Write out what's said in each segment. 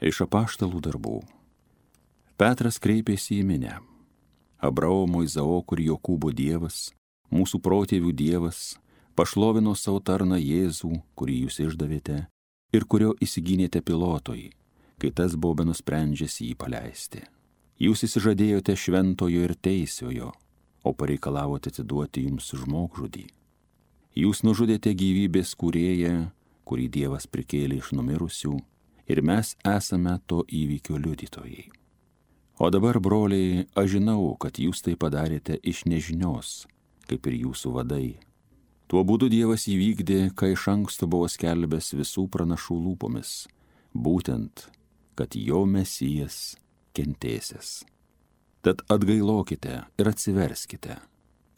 Iš apaštalų darbų. Petras kreipėsi į minią. Abraomo, Izaoko ir Jokūbo Dievas, mūsų protėvių Dievas, pašlovino savo tarną Jėzų, kurį jūs išdavėte ir kurio įsigynėte Pilotui, kai tas buvo benusprendžęs jį paleisti. Jūs įsižadėjote šventojo ir teisiojo, o pareikalavote atiduoti jums žmogžudį. Jūs nužudėte gyvybės kūrėją, kurį Dievas prikėlė iš numirusių, ir mes esame to įvykio liudytojai. O dabar, broliai, aš žinau, kad jūs tai padarėte iš nežinios, kaip ir jūsų vadai. Tuo būdu Dievas įvykdė, ką iš anksto buvo skelbęs visų pranašų lūpomis, būtent, kad jo Mesijas kentėsis. Tad atgailokite ir atsiverskite,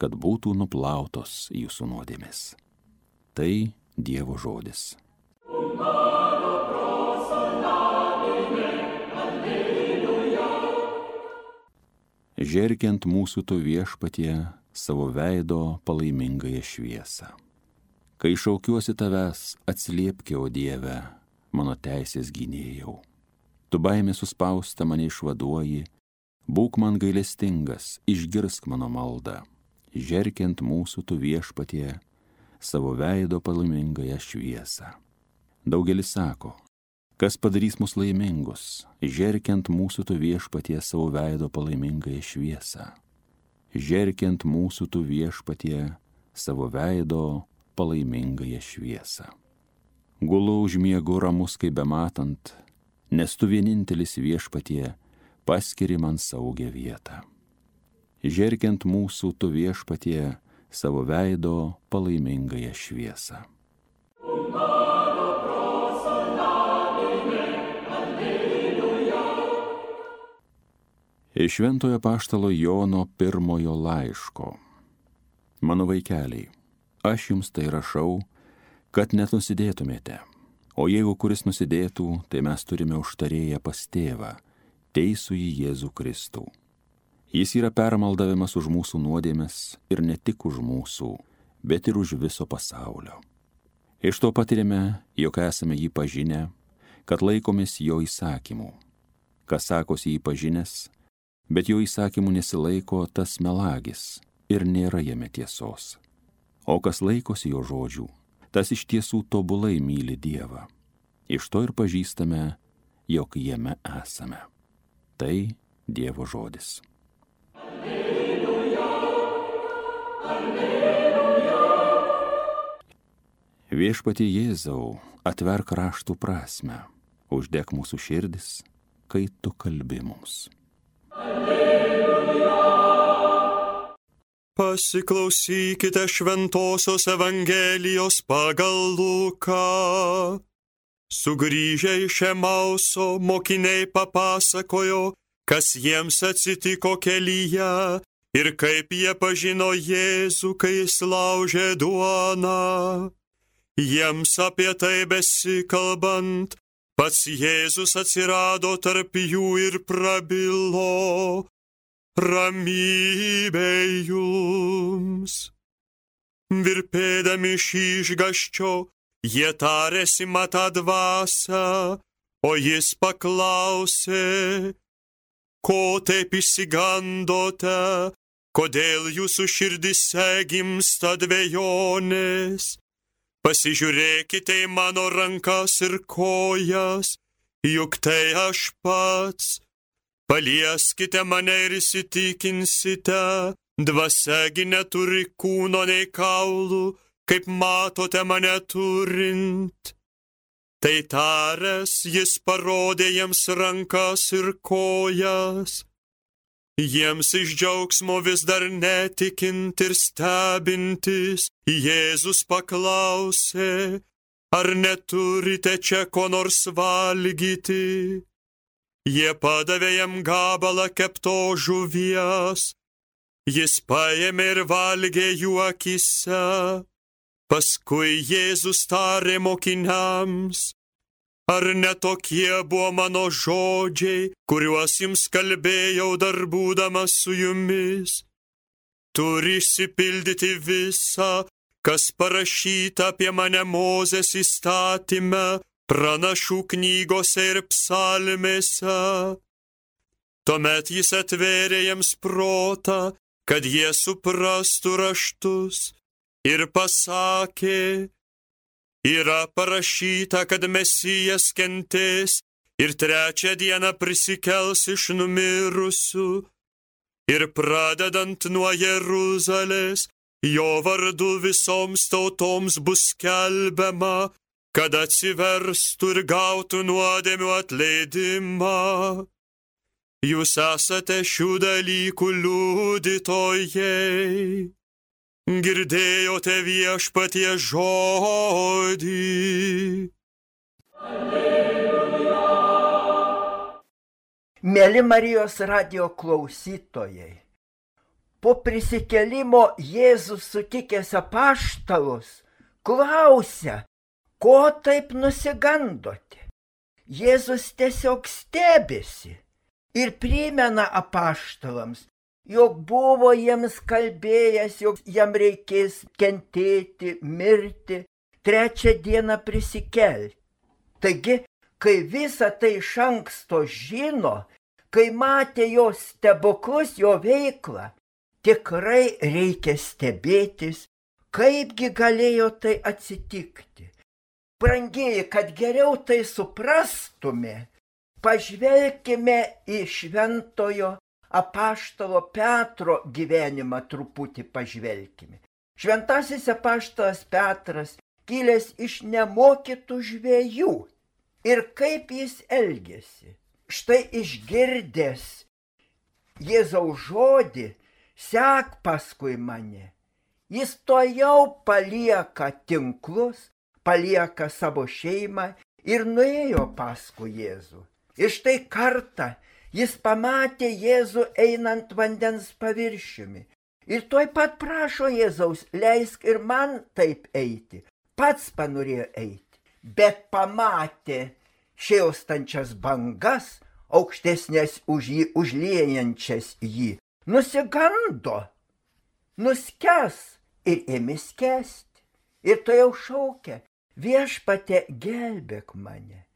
kad būtų nuplautos jūsų nuodėmės. Tai Dievo žodis. Žergiant mūsų tu Viešpatie savo veido palaimingąją šviesą. Kai šaukiuosi tavęs, atsiliepki, o Dieve, mano teisės gynėjau. Tu baimė suspausta mane išvaduoji, būk man gailestingas, išgirsk mano maldą. Žergiant mūsų tu Viešpatie savo veido palaimingąją šviesą. Daugelis sako, kas padarys mus laimingus, žergiant mūsų tu Viešpatie savo veido palaimingąją šviesą. Žergiant mūsų tu Viešpatie savo veido palaimingąją šviesą. Gulu užmiegu ramus kaip bematant, nes tu vienintelis Viešpatie paskiri man saugią vietą. Žergiant mūsų tu Viešpatie savo veido palaimingąją šviesą. Iš Šventojo apaštalo Jono pirmojo laiško. Mano vaikeliai, aš jums tai rašau, kad nenusidėtumėte. O jeigu kuris nusidėtų, tai mes turime užtarėję pas Tėvą, teisųjį Jėzų Kristų. Jis yra permaldavimas už mūsų nuodėmes ir ne tik už mūsų, bet ir už viso pasaulio. Iš to patirime, jog esame jį pažinę, kad laikomės jo įsakymų. Kas sakosi jį pažinęs, bet jo įsakymų nesilaiko, tas melagis ir nėra jame tiesos. O kas laikosi jo žodžių, tas iš tiesų tobulai myli Dievą. Iš to ir pažįstame, jog jame esame. Tai Dievo žodis. Alleluja, alleluja. Viešpatie Jėzau, atverk raštų prasmę, uždek mūsų širdis, kai tu kalbi mums. Alleluja. Pasiklausykite Šventosios Evangelijos pagal Luką. Sugrįžę iš Emauso, mokiniai papasakojo, kas jiems atsitiko kelyje ir kaip jie pažino Jėzų, kai jis laužė duoną. Jiems apie tai besikalbant, pats Jėzus atsirado tarp jų ir prabilo: ramybė jums. Virpėdami iš išgąsčio, jie tarėsi matą dvasią, o jis paklausė: ko taip išsigandote, kodėl jūsų širdise gimsta dvejonės? Pasižiūrėkite į mano rankas ir kojas, juk tai aš pats. Palieskite mane ir įsitikinsite, dvasiagi neturi kūno nei kaulų, kaip matote mane turint. Tai taręs, jis parodė jiems rankas ir kojas. Jiems iš džiaugsmo vis dar netikint ir stebintis, Jėzus paklausė: ar neturite čia ko nors valgyti? Jie padavė jam gabalą keptos žuvies. Jis paėmė ir valgė jų akyse. Paskui Jėzus tarė mokiniams: ar netokie buvo mano žodžiai, kuriuos jums kalbėjau dar būdamas su jumis? Turi išsipildyti visa, kas parašyta apie mane Mozės įstatyme, pranašų knygose ir psalmėse. Tuomet jis atvėrė jiems protą, kad jie suprastų raštus, ir pasakė, yra parašyta, kad Mesijas kentės ir trečią dieną prisikels iš numirusių, ir pradedant nuo Jeruzalės, jo vardu visoms tautoms bus skelbiama, kad atsiverstų ir gautų nuodėmių atleidimą. Jūs esate šių dalykų liudytojai. Girdėjote Viešpaties žodį. Mėly Marijos radijo klausytojai, po prisikėlimo Jėzus sutikęs apaštalus klausia, ko taip nusigandote. Jėzus tiesiog stebisi ir primena apaštalams, jog buvo jiems kalbėjęs, jog jam reikės kentėti, mirti, trečią dieną prisikelti. Taigi, kai visą tai iš anksto žino, kai matė jo stebuklus, jo veiklą, tikrai reikia stebėtis, kaipgi galėjo tai atsitikti. Brangieji, kad geriau tai suprastume, pažvelkime į šventojo apaštalo Petro gyvenimą truputį pažvelkime. Šventasis apaštalas Petras kilęs iš nemokytų žvejų. Ir kaip jis elgėsi? Štai išgirdęs Jėzaus žodį, sek paskui mane. Jis tuojau palieka tinklus, palieka savo šeimą ir nuėjo paskui Jėzų. Ir štai kartą jis pamatė Jėzų einant vandens paviršiumi. Ir tuoj pat prašo Jėzaus, leisk ir man taip eiti. Pats panorėjo eiti. Bet pamatė šėlstančias bangas, aukštesnės už jį, užliejančias jį, nusigando, nuskęs ir ėmė skęsti. Ir to jau šaukia, Viešpatie, gelbėk mane.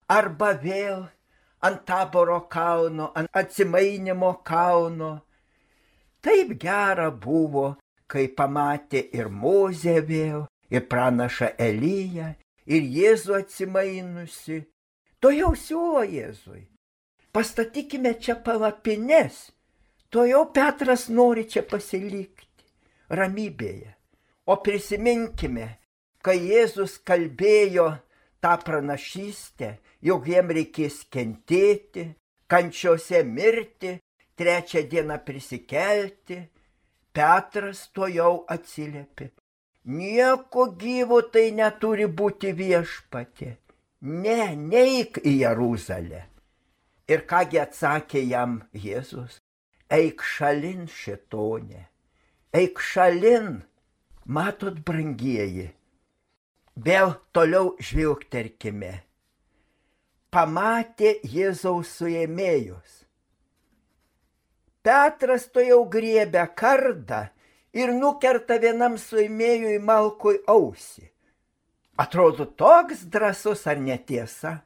Arba vėl ant Taboro kalno, ant Atsimainimo kalno. Taip gera buvo, kai pamatė ir Mozę vėl, ir pranašą Eliją, ir Jėzų atsimainusi. To jau siūlo Jėzui. Pastatykime čia palapines. To jau Petras nori čia pasilikti, ramybėje. O prisiminkime, kai Jėzus kalbėjo tą pranašystę, jog jiem reikės kentėti, kančiose mirti, trečią dieną prisikelti, Petras to jau atsiliepė. Nieko gyvo tai neturi būti, Viešpatie. Ne, neik į Jeruzalę. Ir kągi atsakė jam Jėzus? Eik šalin, šėtonė. Eik šalin. Matot, brangieji. Vėl toliau žvilgterkime. Pamatė Jėzaus suėmėjus. Petras to jau griebia kardą ir nukerta vienam suėmėjui Malkui ausį. Atrodo toks drąsus, ar netiesa?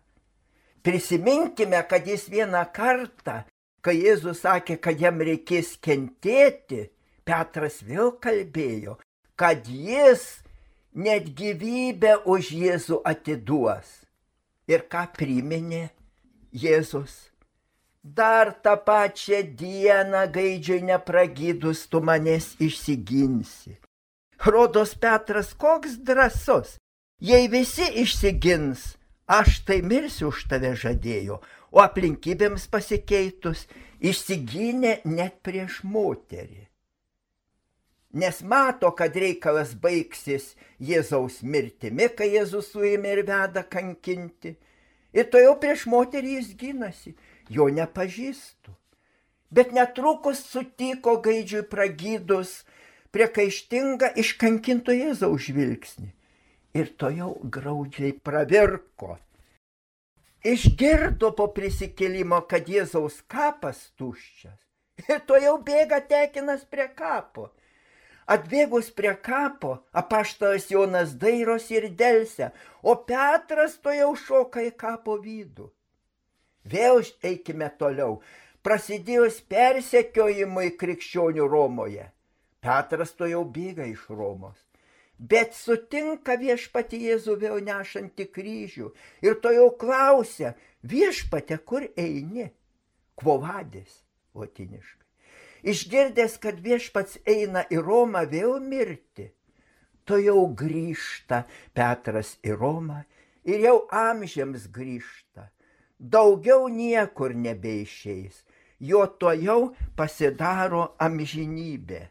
Prisiminkime, kad jis vieną kartą, kai Jėzus sakė, kad jam reikės kentėti, Petras vėl kalbėjo, kad jis net gyvybę už Jėzų atiduos. Ir ką priminė Jėzus? Dar tą pačią dieną gaidžiui nepragydus tu manęs išsiginsi. Rodos Petras koks drąsus. Jei visi išsigins, aš tai mirsiu už tave žadėjo, o aplinkybėms pasikeitus išsigynė net prieš moterį. Nes mato, kad reikalas baigsis Jėzaus mirtimi, kai Jėzus suėmė ir veda kankinti. Ir to jau prieš moterį jis gynasi, jo nepažįstu. Bet netrukus sutiko gaidžiui pragydus priekaištingą iškankinto Jėzaus žvilgsnį. Ir to jau graudžiai pravirko. Išgirdo po prisikėlimo, kad Jėzaus kapas tuščias. Ir to jau bėga tekinas prie kapo. Atbėgus prie kapo, apaštalas Jonas dairosi ir delsia, o Petras to jau šoka į kapo vidų. Vėl eikime toliau. Prasidėjus persekiojimui krikščionių Romoje, Petras to jau bėga iš Romos. Bet sutinka viešpatį Jėzų vėl nešantį kryžių ir to jau klausia, viešpate, kur eini? Quo vadis, lotiniškai. Išgirdęs, kad viešpats eina į Romą vėl mirti, to jau grįžta Petras į Romą ir jau amžiams grįžta. Daugiau niekur nebeišeis, jo to jau pasidaro amžinybė.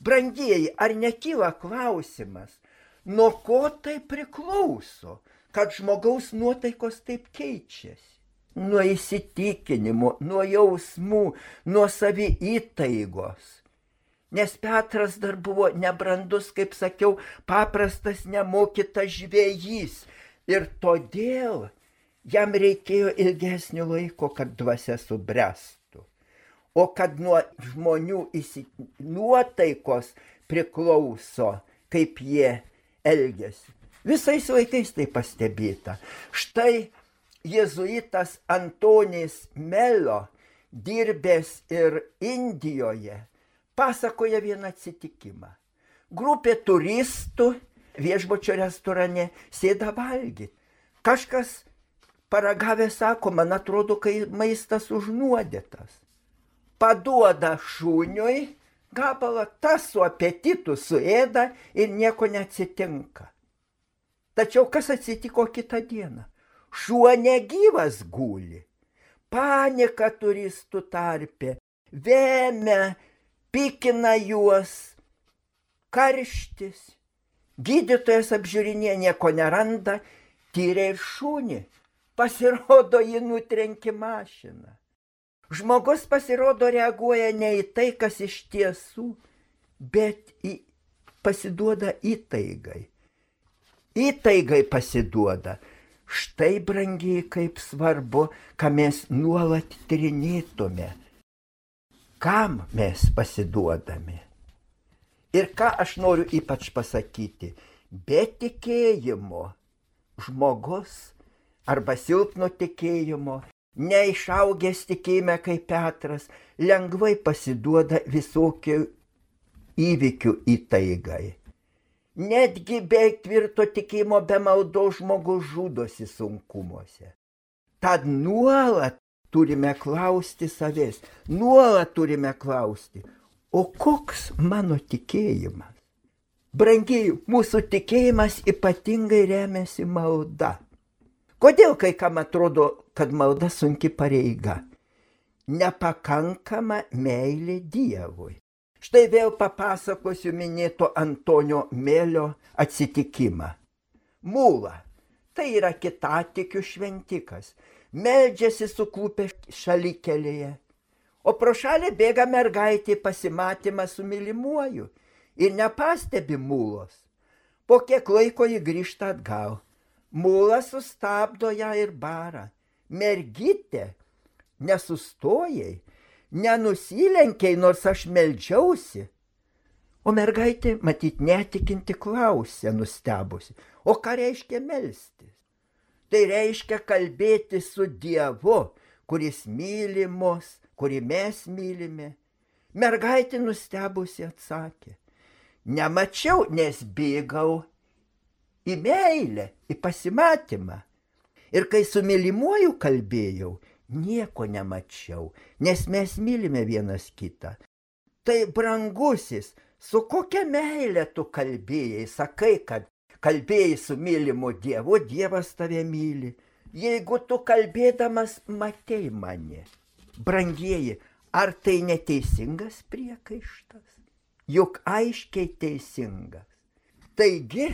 Brangieji, ar nekyla klausimas, nuo ko tai priklauso, kad žmogaus nuotaikos taip keičiasi? Nuo įsitikinimų, nuo jausmų, nuo saviįtaigos. Nes Petras dar buvo nebrandus, kaip sakiau, paprastas nemokytas žvejys. Ir todėl jam reikėjo ilgesnio laiko, kad dvasia subręstų. O kad nuo žmonių nuotaikos priklauso, kaip jie elgiasi. Visais laikais tai pastebėta. Štai jėzuitas Antonis Melio, dirbęs ir Indijoje, pasakoja vieną atsitikimą. Grupė turistų viešbučio restorane sėda valgyti. Kažkas paragavęs sako, man atrodo, kai maistas užnuodytas. Paduoda šuniui gabalą, tas su apetitu suėda ir nieko neatsitinka. Tačiau kas atsitiko kitą dieną? Šuo negyvas guli. Panika turistų tarpe, vemia, pikina juos, karštis. Gydytojas apžiūrinė, nieko neranda, tyrė ir šunį. Pasirodo, jį nutrenkė mašiną. Žmogus pasirodo reaguoja ne į tai, kas iš tiesų, bet pasiduoda įtaigai. Įtaigai pasiduoda. Štai, brangiai, kaip svarbu, ką mes nuolat tyrinėtume. Kam mes pasiduodame? Ir ką aš noriu ypač pasakyti? Be tikėjimo žmogus arba silpno tikėjimo, neišaugęs tikėjime kaip Petras, lengvai pasiduoda visokių įvykių įtaigai. Netgi be tvirto tikėjimo, be maldos žmogus žudosi sunkumuose. Tad nuolat turime klausti savęs, nuolat turime klausti, o koks mano tikėjimas? Brangiai, mūsų tikėjimas ypatingai remiasi malda. Kodėl kai kam atrodo, kad malda sunki pareiga? Nepakankama meilė Dievui. Štai vėl papasakosiu minėto Antonio Melio atsitikimą. Mūla, tai yra kitatikių šventikas, meldžiasi suklupę šalikelėje, o pro šalį bėga mergaitė pasimatymą su mylimuoju ir nepastebi mūlos. Po kiek laiko ji grįžta atgal. Mūla sustabdo ją ir bara. Mergytė, nesustojai, nenusilenkiai, nors aš meldžiausi. O mergaitė, matyt, netikinti klausė, nustebusi. O ką reiškia melstis? Tai reiškia kalbėti su Dievu, kuris myli mus, kurį mes mylime. Mergaitė nustebusi atsakė. Nemačiau, nes bėgau į meilę, į pasimatymą. Ir kai su mylimuoju kalbėjau, nieko nemačiau, nes mes mylime vienas kitą. Tai brangusis, su kokia meilė tu kalbėjai, sakai, kad kalbėjai su mylimu Dievu, Dievas tave myli. Jeigu tu kalbėdamas matei mane, brangieji, ar tai neteisingas priekaištas? Juk aiškiai teisingas. Taigi,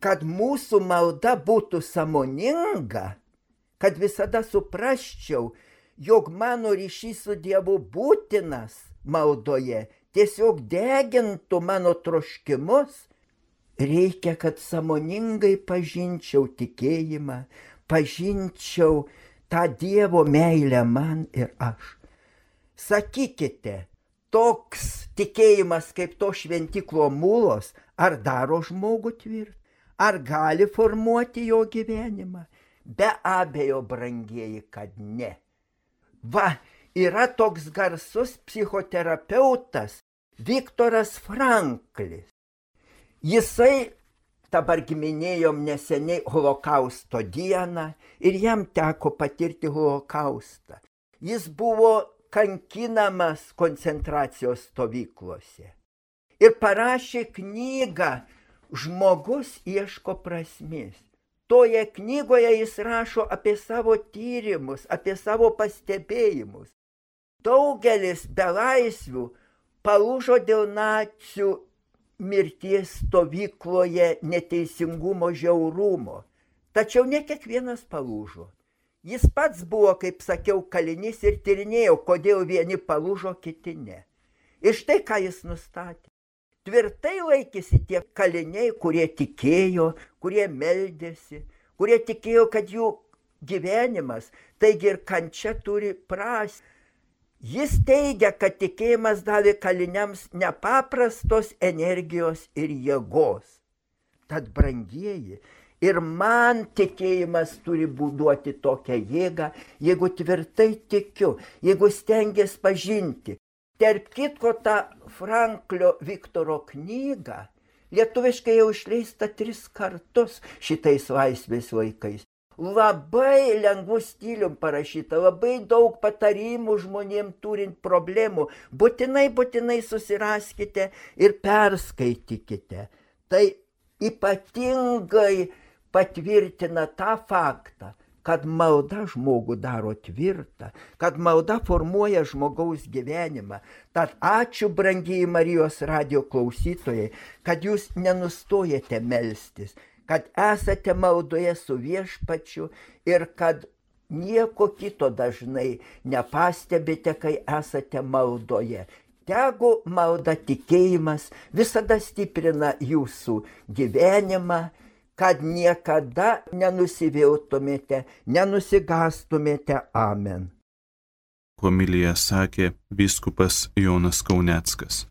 kad mūsų malda būtų sąmoninga, kad visada suprasčiau, jog mano ryšys su Dievu būtinas maldoje, tiesiog degintų mano troškimus, reikia, kad sąmoningai pažinčiau tikėjimą, pažinčiau tą Dievo meilę man ir aš. Sakykite, toks tikėjimas kaip to šventiklo mulos, ar daro žmogų tvirtą, ar gali formuoti jo gyvenimą? Be abejo, brangieji, kad ne. Va, yra toks garsus psichoterapeutas Viktoras Franklis. Jisai, dabar minėjom neseniai Holokausto dieną ir jam teko patirti holokaustą. Jis buvo kankinamas koncentracijos stovyklose ir parašė knygą Žmogus ieško prasmės. Toje knygoje jis rašo apie savo tyrimus, apie savo pastebėjimus. Daugelis belaisvių palūžo dėl nacių mirties stovykloje neteisingumo, žiaurumo. Tačiau ne kiekvienas palūžo. Jis pats buvo, kaip sakiau, kalinys ir tyrinėjo, kodėl vieni palūžo, kiti ne. Ir štai ką jis nustatė. Tvirtai laikėsi tie kaliniai, kurie tikėjo, kurie meldėsi, kurie tikėjo, kad jų gyvenimas, taigi ir kančia turi prasmę. Jis teigia, kad tikėjimas davė kaliniams nepaprastos energijos ir jėgos. Tad, brangieji, ir man tikėjimas turi duoti tokią jėgą, jeigu tvirtai tikiu, jeigu stengiasi pažinti. Tarp kitko, tą Franklio Viktoro knygą lietuviškai jau išleista 3 kartus šitais laisvės laikais. Labai lengvų stilium parašyta, labai daug patarimų žmonėm turint problemų. Būtinai susiraskite ir perskaitykite. Tai ypatingai patvirtina tą faktą, kad malda žmogų daro tvirtą, kad malda formuoja žmogaus gyvenimą. Tad ačiū, brangieji Marijos radijo klausytojai, kad jūs nenustojate melstis, kad esate maldoje su Viešpačiu ir kad nieko kito dažnai nepastebite, kai esate maldoje. Tegu malda, tikėjimas visada stiprina jūsų gyvenimą, kad niekada nenusiviltumėte, nenusigastumėte. Amen. Homiliją sakė vyskupas Jonas Kauneckas.